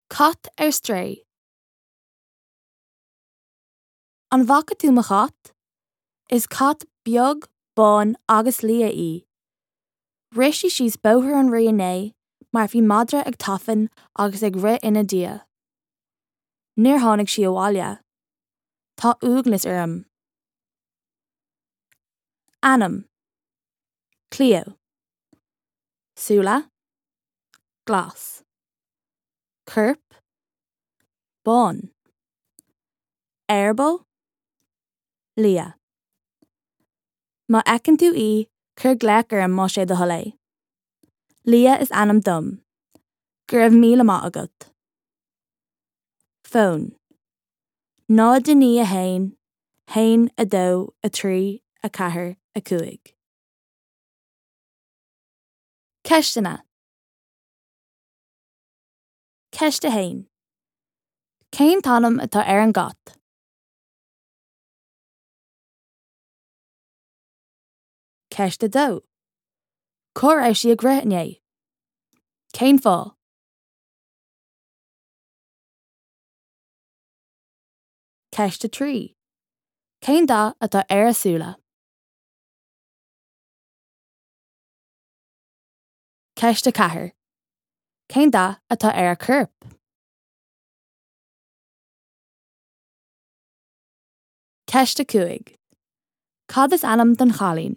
Cat ar strae. An bhfaca tú mo chat? Is cat beag, bán agus liath í. Rith sí síos Bóthar an Rí inné mar bhí madra ag tafann agus ag rith ina diaidh. Níor tháinig sí abhaile. Tá uaigneas orm. Ainm. Cleo. Súile. Glas. Corp. Bán. Eireaball. Liath. Má fheiceann tú í, cuir glaoch orm más é do thoil é. Liadh is ainm dom. Go raibh míle maith agat. Fón. 0 9 1 1 2 3 4 5. Ceisteanna. Ceist 1. Cén t-ainm atá ar an gcat? Ceist 2. Cá raibh sí ag rith inné? Cén fáth? Ceist 3. Cén dath atá ar a súile? Ceist 4. Cén dath atá ar a corp? Ceist 5. Cad is ainm don chailín?